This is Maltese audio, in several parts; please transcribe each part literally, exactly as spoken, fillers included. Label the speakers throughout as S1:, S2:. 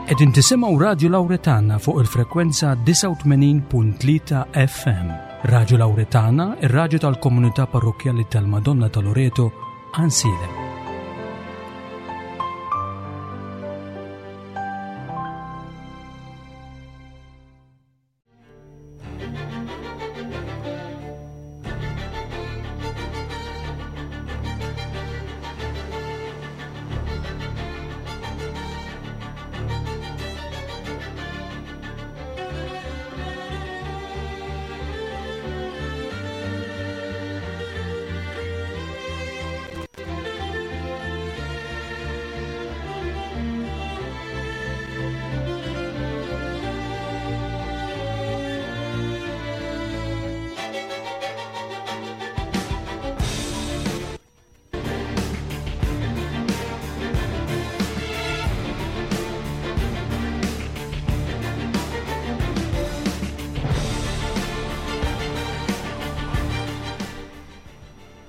S1: Qegħdin tisimgħu Radju Lawretana fuq il-frekwenza disgħa u tmenin punt tlieta F M. Radju Lawretana, ir-radju tal-komunità parrokkjali tal-Madonna ta' Loreto, Għajnsielem.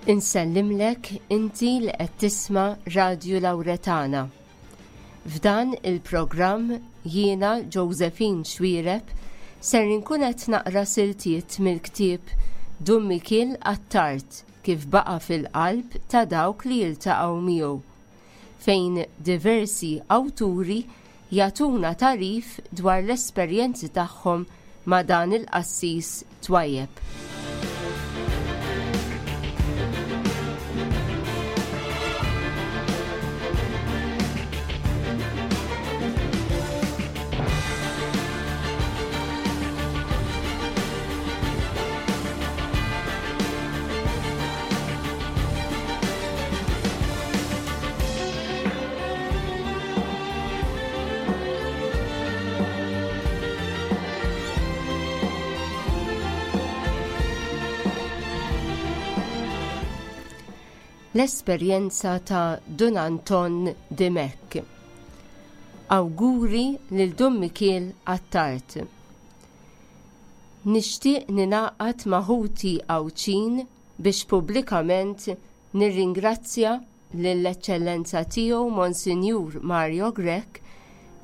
S2: Insellimlek inti li qed tisma' Radju Lawretana. F'dan il-programm jiena Josephine Xuereb ser inkun qed naqra siltiet mill-ktieb Dun Mikiel Attard kif baqa' fil-qalb ta' dawk li jiltaqgħu miegħu, fejn diversi awturi jagħtuna tagħrif dwar l-esperjenzi tagħhom ma' dan il-qassis twajjeb. L-esperjenza ta' Dun Anton Dimech. Awguri lil Dun Mikiel Attard. Nixtieq ninaqat ma' ħuti Għawdxin biex pubblikament nirringrazzja lill-Eċċellenza tiegħu Monsinjur Mario Grech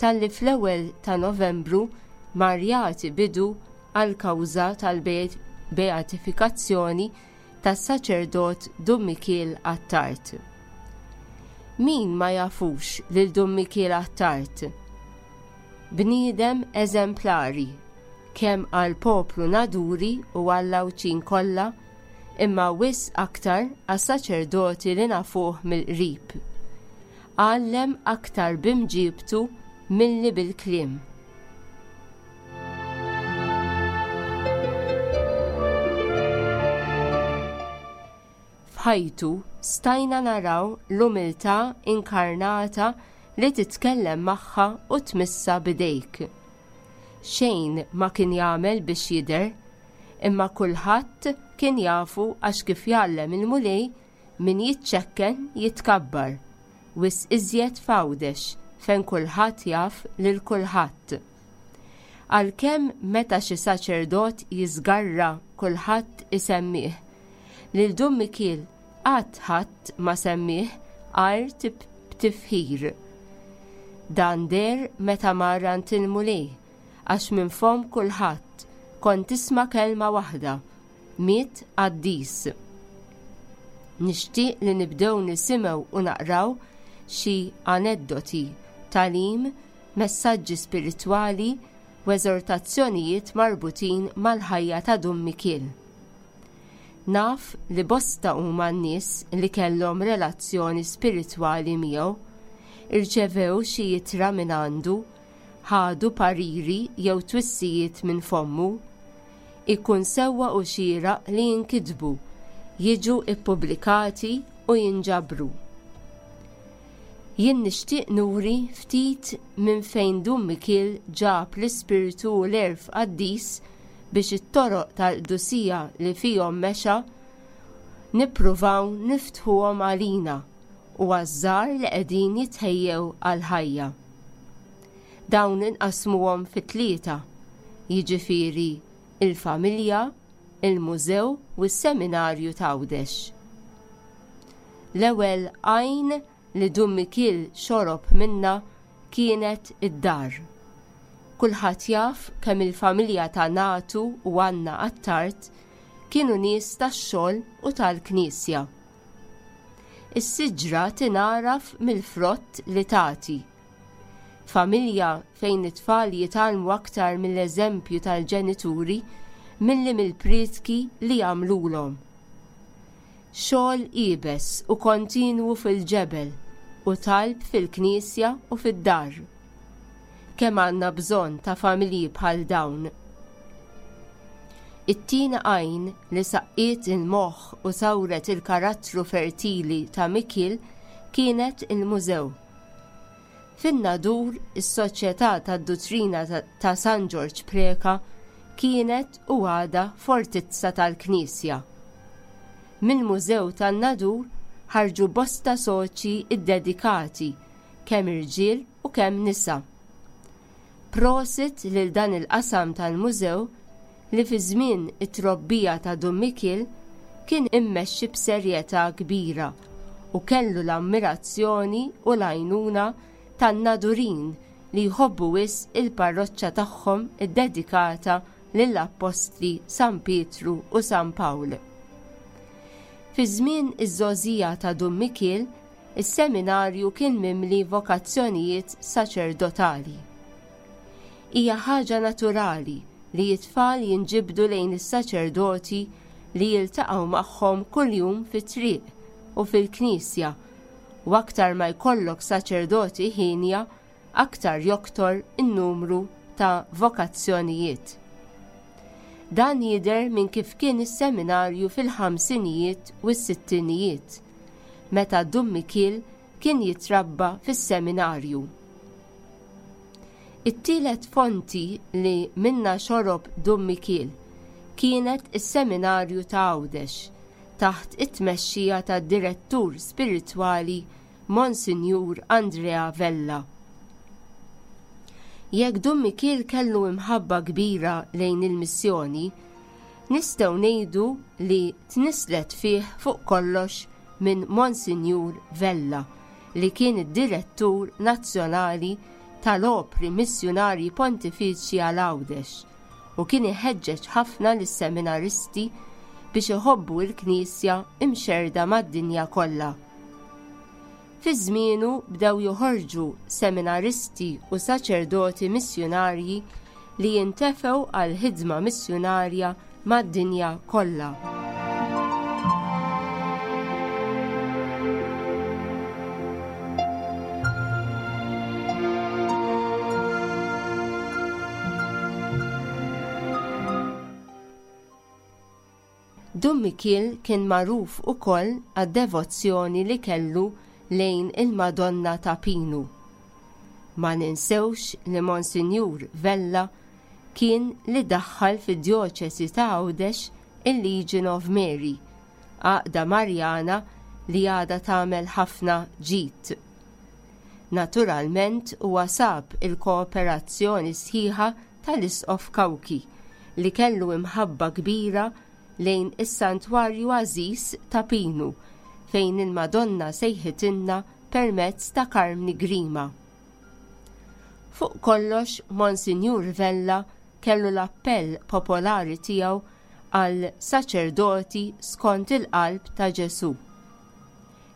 S2: talli fl-ewwel ta' Novembru mar jagħti bidu għall-kawża tal-beatifikazzjoni tas-saċerdot Dun Mikiel Attard. Min ma jafux lil Dun Mikiel Attard? Bniedem eżemplari, kemm għal poplu Naduri u għall-Għawdxin kollha, imma wisq aktar għas-saċerdoti li nafuh mill-qrib. Għallem aktar b'imġibtu milli bil-kliem. F'ħajtu stajna naraw l-umiltà inkarnata li titkellem magħha u tmissa bidejk. Xejn ma kien jagħmel biex jidher, imma kulħadd kien jafu għax kif jgħallem il-Mulej min jiċċekken jitkabbar, wisq iżjed f'Għawdex fejn kulħadd jaf lil kulħadd. Għalkemm meta xi saċerdot jiżgarra kulħadd isemmih, lil Dun Mikiel qatt ħadd ma semmih għajr tib-, b'tifħir. Dan der meta mar għand il-Mulej, għax minn fomm kulħadd kont tisma' kelma waħda, miet qaddis. Nixtieq li nibdew nisimgħu u naqraw xi aneddoti, tagħlim, messaġġi spiritwali u eżortazzjonijiet marbutin mal-ħajja ta' Dun Mikiel. Naf li bosta huma n-nies li kellhom relazzjoni spiritwali miegħu, irċevew xi ittra minn għandu, ħadu pariri jew twissijiet minn fommu. Ikun sewwa u xieraq li jinkitbu, jiġu ippubblikati u jinġabru. Jien nixtieq nuri ftit minn fejn Dun Mikiel ġab l-ispirtu u l-għerf qaddis biex it-toroq tal-qdusija li fihom mexa nippruvaw niftħuhom għalina u għaż-żgħar li qegħdin jitħejjew għall-ħajja. Dawn inqasmuhom fi tlieta, jiġifieri il-familja, il-mużew u s-seminarju ta' Għawdex. L-ewwel għajn li Dun Mikiel xorob minna kienet id-dar. Kulħadd jaf kemm il-familja ta' Natu u Anna Attard kienu nies tax-xogħol u tal-Knisja. Is-siġra tingħaraf mill-frott li tagħti. Familja fejn it-tfal jitgħallmu aktar mill-eżempju tal-ġenituri milli mill-prietki li jagħmlulhom. Xogħol iebes u kontinwu fil-ġebel u talb fil-knisja u fid-dar. Kemm għandna bżonn ta' familji bħal dawn. It-tieni għajn li saqqiet il-moħħ u sawret il-karattru fertili ta' Mikiel kienet il-mużew. Fin-Nadur, is-Soċjetà tad-Duttrina ta' San Ġorġ Preca kienet u għadha fortizza tal-Knisja. Mill-Mużew tan-Nadur ħarġu bosta soċi ddedikati, kemm irġiel u kemm nisa. Prosit lil dan il-qasam tal-mużew li fi żmien it-trobbija ta' Dun Mikiel kien immexxi b'serjetà kbira u kellu l-ammirazzjoni u l-għajnuna tan-Nadurin li jħobbu wisq il-parroċċa tagħhom iddedikata lill-Appostli San Pietru u San Pawl. Fi żmien iż-żgħożija ta' Dun Mikiel, is-seminarju kien mimli vokazzjonijiet saċerdotali. Hija ħaġa naturali li t-tfal jinġibdu lejn is-saċerdoti li jiltaqgħu magħhom kuljum fit-triq u fil-knisja, u aktar ma jkollok saċerdoti ħienja, aktar joktor in-numru ta' vokazzjonijiet. Dan jidher minn kif kien is-seminarju fil-ħamsinijiet u s-sittinijiet, meta Dun Mikiel kien jitrabba fis-seminarju. It-tielet fonti li minna xorob Dun Mikiel kienet is-seminarju ta' Għawdex taħt it-tmexxija tad-direttur spiritwali Monsinjur Andrea Vella. Jekk Dun Mikiel kellu imħabba kbira lejn il-missjoni, nistgħu ngħidu li tnislet fih fuq kollox minn Monsinjur Vella, li kien id-direttur nazzjonali tal-opri missjunarji pontifiċi għal Għawdex u kien iħeġġeġ ħafna lis-seminaristi biex iħobbu l-Knisja imxerda mad-dinja kollha. Fi żmienu bdew joħorġu seminaristi u saċerdoti missjunarji li jintefgħu għal ħidma missjunarja mad-dinja kollha. Dun Mikiel kien magħruf ukoll għad-devozzjoni li kellu lejn il-Madonna ta' Pinu. Ma ninsewx li Monsinjur Vella kien li daħħal fid-djoċesi ta' Għawdex il-Legion of Mary, għaqda Marjana li għadha tagħmel ħafna ġid. Naturalment huwa sab il-kooperazzjoni sħiħa tal-Isqof Cauchi li kellu imħabba kbira lejn is-Santwarju Għażiż ta' Pinu fejn il-Madonna sejħitilna permezz ta' Karmni Grima. Fuq kollox, Monsinjur Vella kellu l-appell popolari tiegħu għal saċerdoti skont il-qalb ta' Ġesù.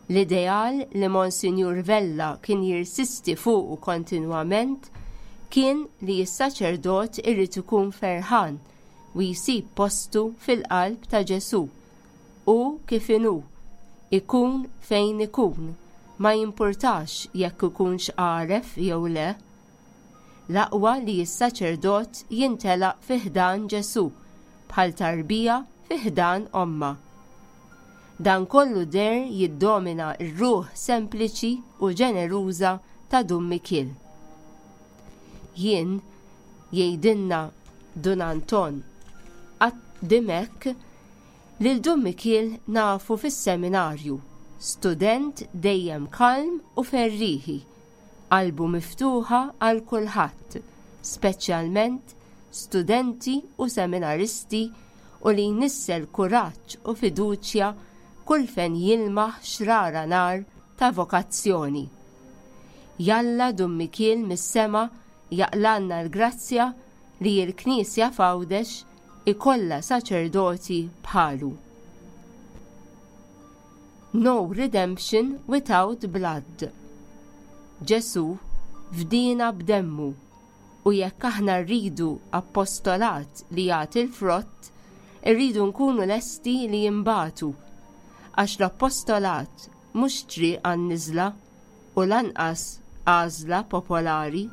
S2: L-ideal li Monsinjur Vella kien jirsisti fuqu kontinwament kien li s-saċerdot irid ikun ferħan u jsib postu fil-qalb ta' Ġesù u kif inhu, ikun fejn ikun, ma jimpurtax jekk ikunx għaref jew le. L-aqwa li s-saċerdot jintelaq fi ħdan Ġesù bħal tarbija fi ħdan omma. Dan kollu der jiddomina r-ruħ sempliċi u ġeneruża ta' Dun Mikiel. Jien, jgħidilna Dun Anton Dimech, lil Dun Mikiel nafu fis-seminarju, student dejjem kalm u ferriħi, qalbu miftuħa għal kulħadd, speċjalment studenti u seminaristi u li jnissel kuraġġ u fiduċja kull fejn jilmaħ xrara nar ta' vokazzjoni. Jalla Dun Mikiel mis-sema jaqlanna l-grazzja li l-Knisja f'Għawdex ikollha saċerdoti bħalu. No redemption without blood. Ġesu fdina b'demmu u jekk aħna rridu appostolat li jagħti l-frott, irridu nkunu lesti li jimbatu, għax l-appostolat mhux triq għan-niżla u lanqas għażla popolari.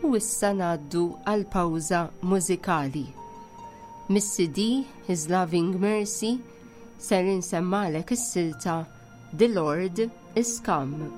S2: U issa ngħaddu għal pawża mużikali. Mis-C D His Loving Mercy ser insemmalek is-silta The Lord is Come.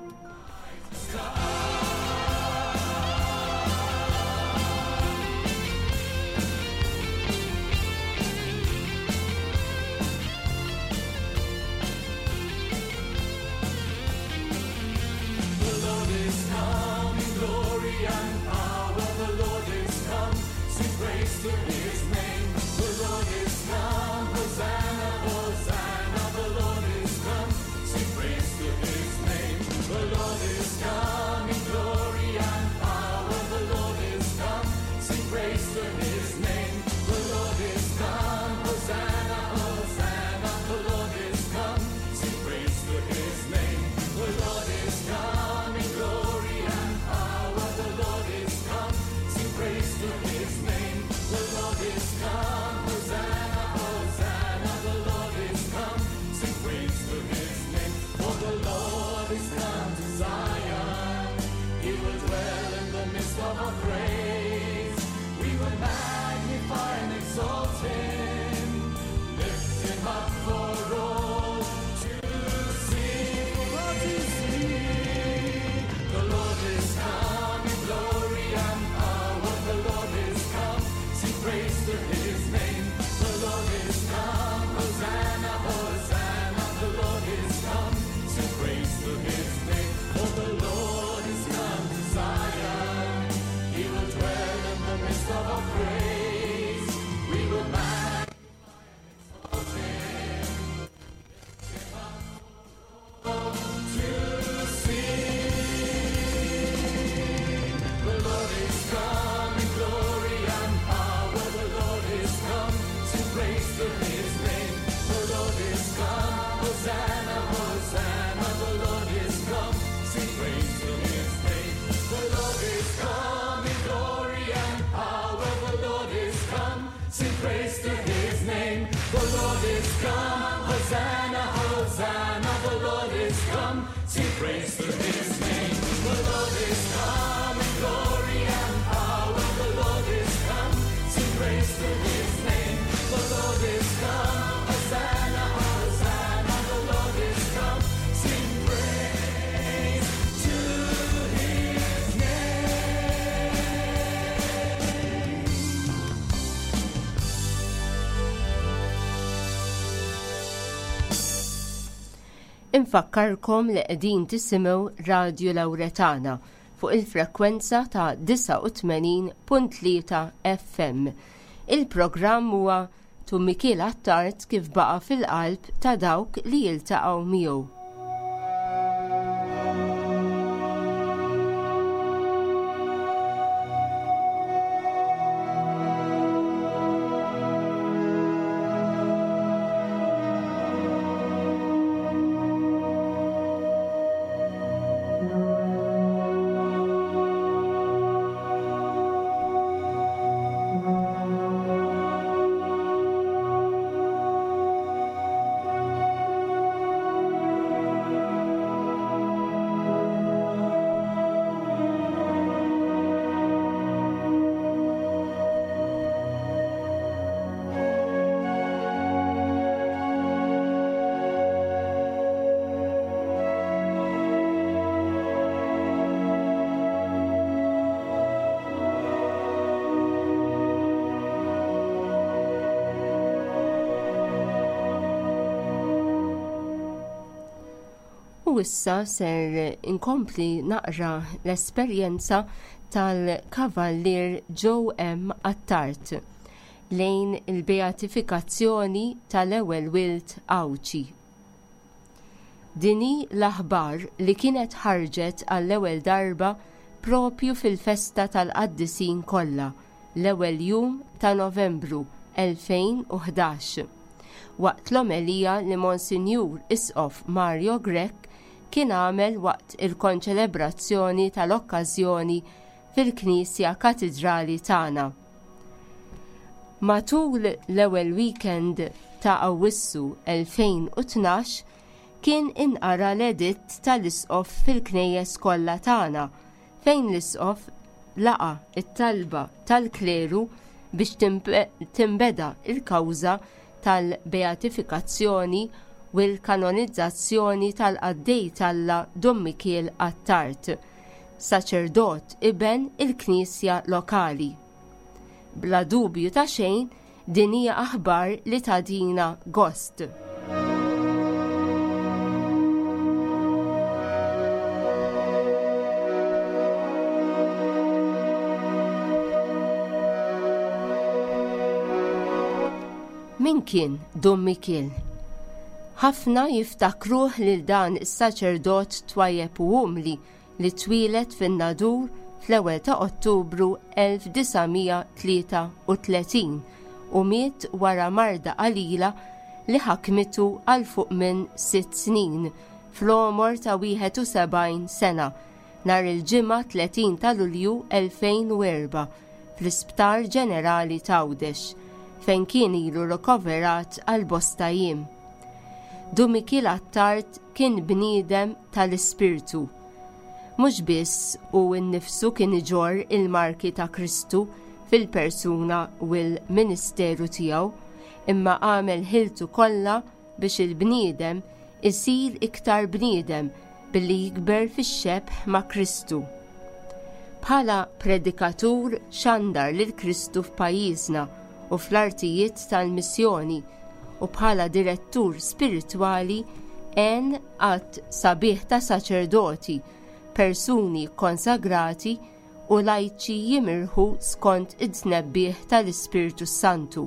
S3: The Lord is come in glory and power. The Lord is come. Sing praise to his name. The Lord is come. Hosanna, Hosanna. The Lord is come. Sing praise to his name. The Lord is come in glory and power. The Lord is come. Sing praise to his name. The Lord is come. Hosanna, Hosanna. The Lord is come. Sing praise to his name. The Lord is come in glory and power. The Lord is come. Sing praise to his name. The Lord is come. Hosanna, Hosanna. The Lord is come. Sing praise to his name. For the Lord is come to Zion. He will dwell in the midst of our praise. We will magnify and exalt him. Lift him up for all to see. For all to see. The Lord is come in glory and power. The Lord is come. Sing praise to his name. The Lord is come. Hosanna, Hosanna. The Lord is come. Sing praise to his name. For the Lord is come to Zion. He will dwell in the midst of our praise. We will magnify and exalt him. Lift him up for all to see. The Lord is come in glory and power. The Lord is come. Sing praise to his name. The Lord is come. Hosanna, Hosanna. The Lord is come. Sing praise to his name. The Lord is come in glory and power. The Lord is come. Sing praise to his name. The Lord is come. Hosanna, Hosanna. The Lord is come. Sing praise to his name. The Lord is come in glory and power. The Lord is come. Sing praise to his name. The Lord is come. Hosanna, Hosanna. The Lord is come. Sing praise to his name.
S2: Infakkarkom li qegħdin tisimgħu Radio Lauretana fuq il-frekwenza ta' disgħa u tmenin punt tlieta F M. Il-programm huwa Dun Mikiel Attard kif baqa' fil-qalb ta' dawk li jiltaqgħu miegħu. U issa ser inkompli naqra l-esperjenza tal-Kavallier Joe M. Attard lejn il-beatifikazzjoni tal-ewwel wild Għawdxi. Din hi l-aħbar li kienet ħarġet għall-ewwel darba propju fil-festa tal-qaddisin kollha, l-ewwel jum ta' Novembru elfejn u ħdax, waqt l-omelija li Monsinjur Isqof Mario Grech kien għamel waqt il-konċelebrazzjoni tal-okkażjoni fil-Knisja Katidrali tagħna. Matul l-ewwel weekend ta' Awwissu elfejn u tnax kien inqara l-editt tal-Isqof fil-knejjes kollha tagħna, fejn l-Isqof laqa it-talba tal-kleru biex timbe-, timbeda il-kawża tal-beatifikazzjoni u l-kanonizzazzjoni tal-qaddej t'Alla Dun Mikiel Attard, saċerdot iben il-Knisja lokali. Bla dubju ta' xejn, din hija aħbar li tagħtina gost. Min kien Dun Mikiel? Ħafna jiftakruh lil dan is-saċerdot twajjeb u umli li twieled fin-Nadur fl-ewwel ta' Ottubru elf disa' mija tlieta u tletin u miet wara marda qalila li ħakmitu għal fuq minn sitt snin fl-għomor ta' wieħed u sebgħin sena nhar il-Ġimgħa tletin ta' Lulju elfejn u erba' fl-Isptar Ġenerali t'Għawdex, fejn kien ilu rikoverat għal bosta jiem. Dun Mikiel Attard kien bniedem tal-ispirtu. Mhux biss u nnifsu kien iġorr il-marki ta' Kristu fil-persuna u l-ministeru tiegħu, imma għamel ħiltu kollha biex il-bniedem isir iktar bniedem billi jikber fix-xebh ma' Kristu. Bħala predikatur xandar lil Kristu f'pajjiżna u fl-artijiet tal-missjoni, u bħala direttur spiritwali għen għadd sabiħ ta' saċerdoti, persuni konsagrati u lajċi jimirħu skont id-tnebbiħ tal-Ispirtu Santu.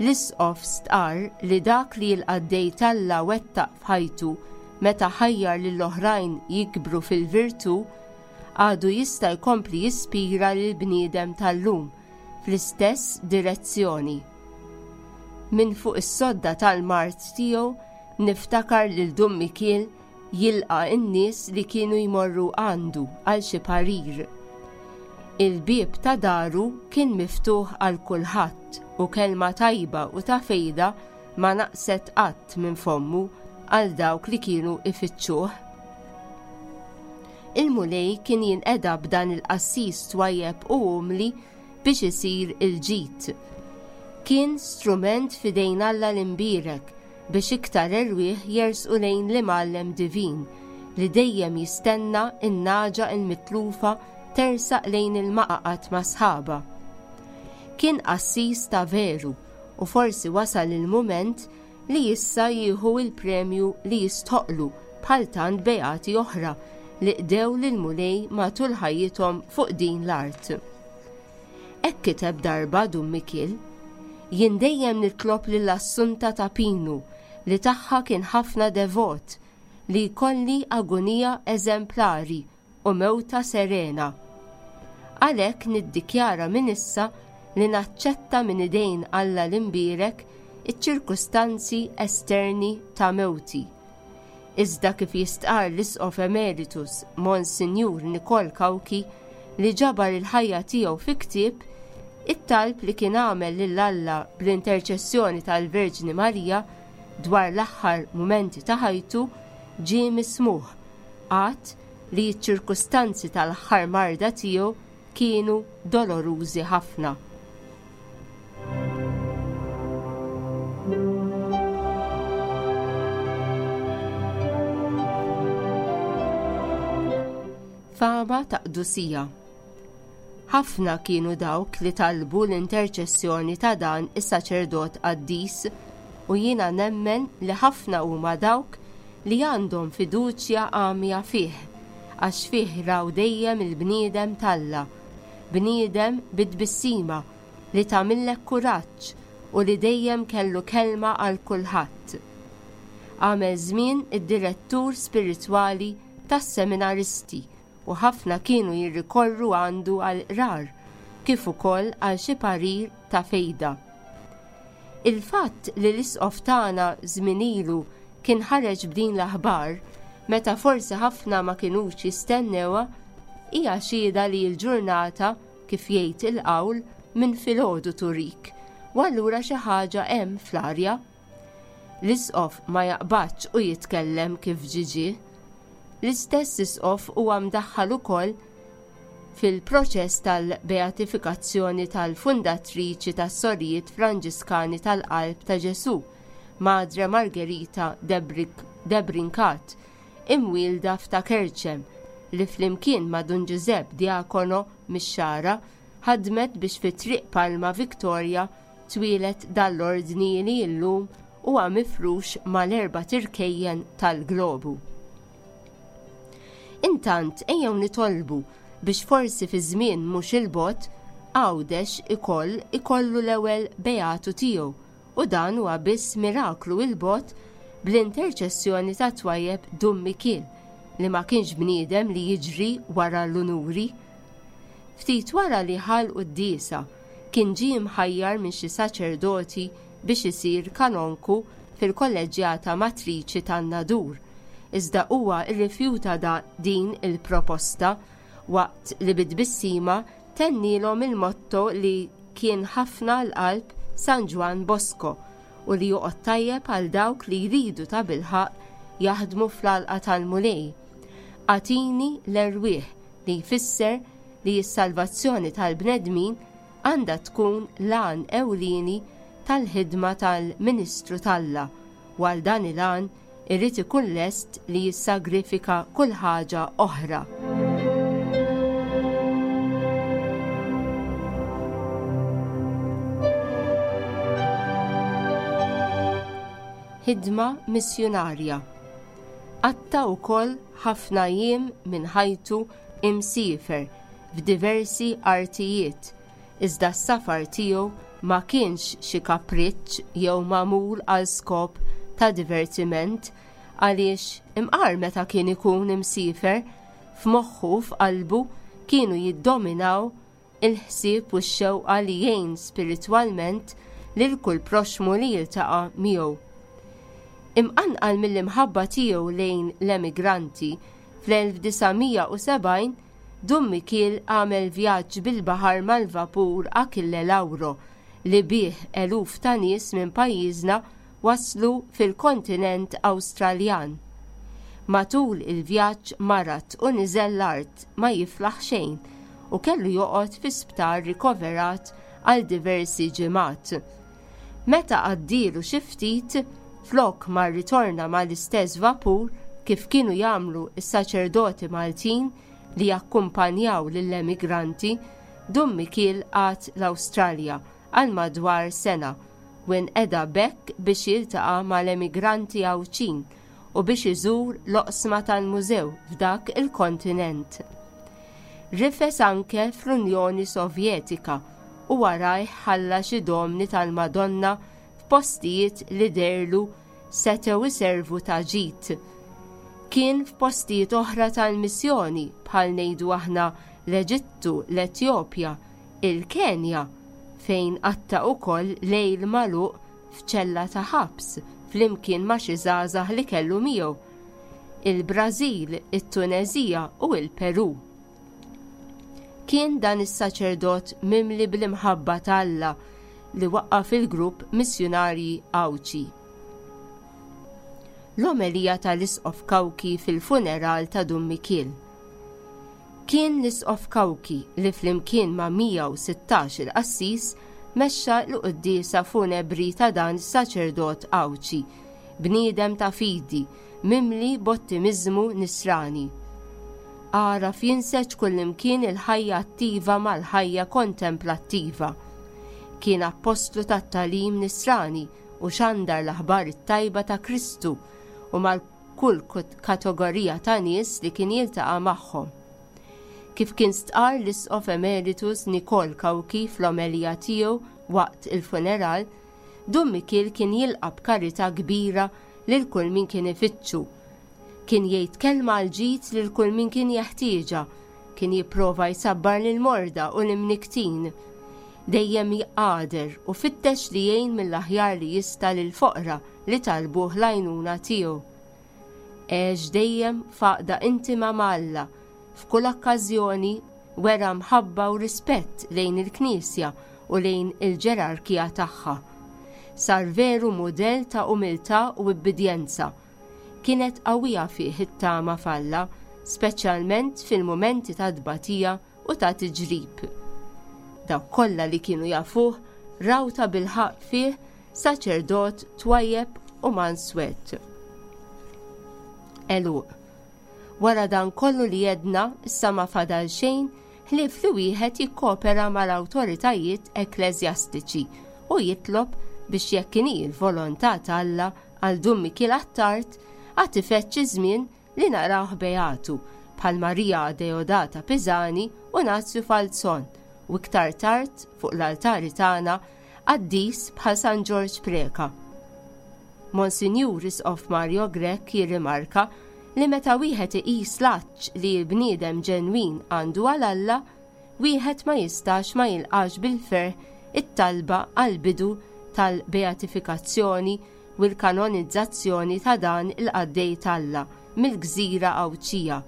S2: L-Isqof stqarr li dak li l-qaddej t'Alla wettaq f'ħajtu meta ħajjar lill-oħrajn jikbru fil-virtù, għadu jista' jkompli jispira lill-bniedem tal-lum fl-istess direzzjoni. Min fuq is-sodda tal-mard tiegħu niftakar lil Dun Mikiel jilqa' n-nies li kienu jmorru għandu għal xi parir. Il-bieb ta' daru kien miftuħ għal kulħadd u kelma tajba u ta' fejda ma naqset qatt minn fommu għal dawk li kienu ifittxuh. Il-Mulej kien jinqeda b'dan il-qassis twajjeb u umli biex isir il-ġid. Kien strument f'idejn Alla l-imbierek biex iktar erwieħ jersqu lejn l-imgħallem divin li dejjem jistenna n-naġa il-mitlufa tersaq lejn il-maqaqat ma' sħaba. Kien qassis ta' veru u forsi wasal il-mument li issa jieħu il-premju li jistħoqlu bħal tant beati oħra li qdew lill-Mulej matul ħajjithom fuq din l-art. Hekk kiteb darba Dun Mikiel, jien dejjem nitlob lil Assunta ta' Pinu li tagħha kien ħafna devot li jkolli agonija eżemplari u mewta serena. Għalhekk niddikjara minn issa li naċċetta minn idejn Alla l-imbierek iċ-ċirkustanzi esterni ta' mewti. Iżda kif jistqarr l-Isqof Emeritus Monsinjur Nikol Cauchi li ġabar il-ħajja tiegħu fi ktieb, it-talb li kien għamel lil Alla bl-interċessjoni tal-Verġni Marija dwar l-aħħar mumenti ta' ħajtu ġie mismuħ, għad li ċ-ċirkustanzi tal-aħħar marda tiegħu kienu dolorużi ħafna. Fama ta' qdusija. Ħafna kienu dawk li talbu l-interċessjoni ta' dan is-saċerdot qaddis u jiena nemmen li ħafna huma dawk li għandhom fiduċja għamja fih, għax fih raw dejjem il-bniedem t'Alla, bniedem bit-tbissima li tagħmillek kuraġġ u li dejjem kellu kelma għal kulħadd. Għamel żmien id-direttur spiritwali tas-seminaristi u ħafna kienu jirrikorru għandu għal qrar, kif ukoll għal xi parir ta' fejda. Il-fatt li l-isqof tagħna żmien ilu kien ħareġ b'din l-aħbar meta forsi ħafna ma kinux jistennewha hija xhieda li l-ġurnata, kif jgħid il-qawl, minn filgħodu turik, u allura xi ħaġa hemm fl-arja. L-isqof ma jaqbadx u jitkellem kif ġie ġie. L-istess isqof huwa mdaħħal ukoll fil-proċess tal-beatifikazzjoni tal-fundatriċi tas-Sorijiet Franġiskani tal-Qalb ta' Ġesù, Madre Margherita Debrincat, imwielda f'Ta' Kerċem, li flimkien ma' Dun Giuseppe Diacono mix-Xagħra ħadmet biex fi Triq Palma Victoria twieled dal-ordni li llum huwa mifrux mal-erba' tirkejjen tal-globu. Intant ejjew nitolbu biex forsi fi żmien mhux il-bogħod Għawdex ikoll ikollu l-ewwel beatu tiegħu, u dan huwa biss miraklu il-bogħod bl-interċessjoni ta' twajjeb Dun Mikiel, li ma kienx bniedem li jiġri wara l-unuri. Ftit wara li ħa l-quddiesa kien ġie mħajjar minn xi saċerdoti biex isir kanonku fil-kolleġġjata matriċi tan-Nadur, iżda huwa rrifjuta din il-proposta waqt li bit-tbissima tennilhom il-motto li kien ħafna l-qalb San Ġwann Bosco u li joqgħod tajjeb għal dawk li jridu ta' bilħaqq jaħdmu fl-għalqa tal-Mulej. Agħtini l-erwieħ, li jfisser li s-salvazzjoni tal-bnedmin għandha tkun l-għan ewlieni tal-ħidma tal-Ministru t'Alla, u għal dan il-għan irid ikun lest li jissagrifika kull ħaġa oħra. Ħidma missjunarja. Qatta wkoll ħafna jiem minn ħajtu imsiefer f'diversi artijiet, iżda s-safar tiegħu ma kienx xi kapriċċ jew magħmul għal skop ta' divertiment, għaliex imqar meta kien ikun imsiefer, f'moħħu f'qalbu kienu jiddominaw il-ħsieb u x-xewqa li jgħin spiritwalment lil kull proxmu li jiltaqa' miegħu. Imqanqal mill-imħabba tiegħu lejn l-emigranti, fl-elf disa' mija u sebgħin Dun Mikiel għamel vjaġġ bil-baħar mal-vapur Achille Lauro li bih eluf ta' nies minn pajjiżna waslu fil-kontinent Awstraljan. Matul il-vjaġġ marad u niżel l-art ma jiflaħ xejn u kellu joqgħod fi sptar rikoverat għal diversi ġimgħat. Meta għaddielu xi ftit, flok ma rritorna mal-istess vapur kif kienu jagħmlu s-saċerdoti Maltin li jakkumpanjaw lill-emigranti, Dun Mikiel qagħad l-Awstralja għal madwar sena u nqeda b'hekk biex jiltaqa' mal-emigranti Għawdxin u biex iżur l-oqsma tal-mużew f'dak il-kontinent. Rifes anke fl-Unjoni Sovjetika u warajh ħalla xi domni tal-Madonna f'postijiet li derlu setgħu iservu ta' ġid. Kien f'postijiet oħra tal-missjoni bħal ngħidu aħna l-Eġittu, l-Etjopja, il-Kenja, fejn qatta' ukoll lejl magħluq f'ċella ta' ħabs flimkien ma' xi żgħażagħ li kellu miegħu, il-Brażil, it-Tunezija u l-Peru. Kien dan is-saċerdot mimli bl-imħabba ta' Alla li waqqaf il-grupp Missjunarji Għawdxi. L-omelija tal-Isqof Cauchi fil-funeral ta' Dun Mikiel. Kien l-Isqof Cauchi li flimkien ma' mija u sittax il-qassis mexxa l-quddiesa funebri ta' dan is-saċerdot Għawdxi, bniedem ta' fidi, mimli b'ottimiżmu nisrani. Għaraf jinseġ kullimkien il-ħajja attiva mal-ħajja kontemplattiva. Kien appostlu tat-tagħlim nisrani u xandar l-aħbar it-tajba ta' Kristu u mal kull kategorija ta' nies li kien jiltaqa' magħhom. Kif kien stqar l-Isqof Emeritus Nikol Cauchi fl-omelija tiegħu waqt il-funeral, Dun Mikiel kien jilqa' b'karità kbira lil kull min kien ifittxu. Kien jgħid kelma għal ġid lil kull min kien jeħtieġha, kien jipprova jsabbar lil morda u l-imniktin. Dejjem jqader u fittex li jgħin mill-aħjar li jista' lil foqra li talbuh l-għajnuna tiegħu. Għex dejjem f'għaqda intima ma' Alla, f'kull okkażjoni wera mħabba u rispett lejn il-Knisja u lejn il-ġerarkija tagħha. Sar veru mudell ta' umiltà u ubbidjenza. Kienet qawwija fih it-tama f'Alla, speċjalment fil-mumenti ta' tbatija u ta' tiġrib. Dawk kollha li kienu jafuh raw ta' bilħaqq fih saċerdot twajjeb u manswet. Għeluq. Wara dan kollu li jedna, issa ma fadal xejn ħlief li wieħed jikkopera mal-awtoritajiet ekkleżjastiċi u jitlob biex jekk inhi l-volontà t'Alla għal Dun Mikiel Attard għad ifeġġ iż-żmien li narawh beatu bħal Maria Deodata Pisani u Nazju Falzon u iktar tard fuq l-altari tagħna qaddis bħal San Ġorġ Preca. Monsinjur Isqof Mario Grech jirrimarka li meta wieħed iqis l-għatx li l-bniedem ġenwin għandu għal Alla, wieħed ma jistax ma jilqax bil-ferħ it-talba għal bidu tal-beatifikazzjoni u l-kanonizzazzjoni ta' dan il-qaddej t'Alla mill-gżira Għawdxija,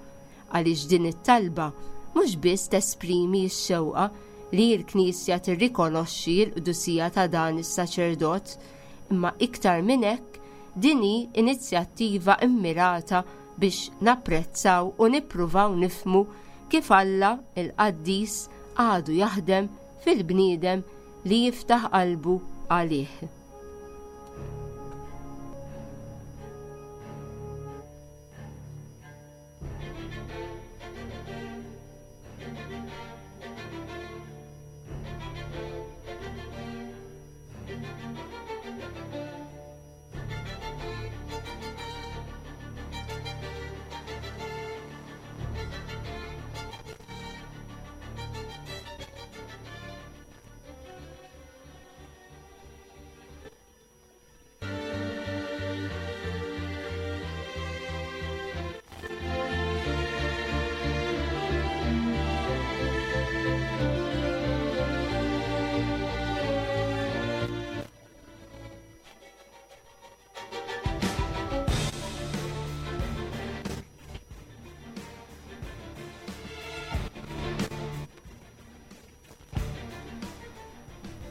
S2: għaliex din it-talba mhux biss tesprimi x-xewqa li l-Knisja tirrikonoxxi l-qdusija ta' dan is-saċerdot, imma iktar minn hekk din hi inizjattiva immirata biex napprezzaw u nippruvaw nifhmu kif Alla il-Qaddis għadu jaħdem fil-bniedem li jiftaħ qalbu għalih.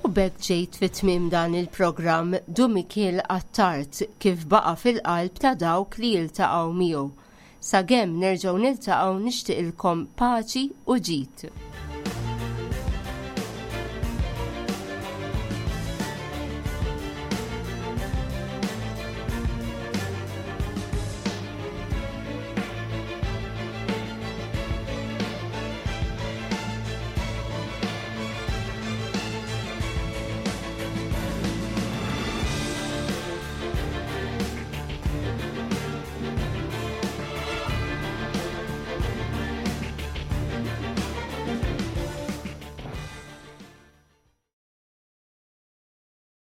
S2: U b'hekk ġejt fi tmiem dan il-programm Dun Mikiel Attard kif baqa' fil-qalb ta' dawk li jiltaqgħu miegħu. Sakemm nerġgħu niltaqgħu nixtieqilkom paċi u ġid.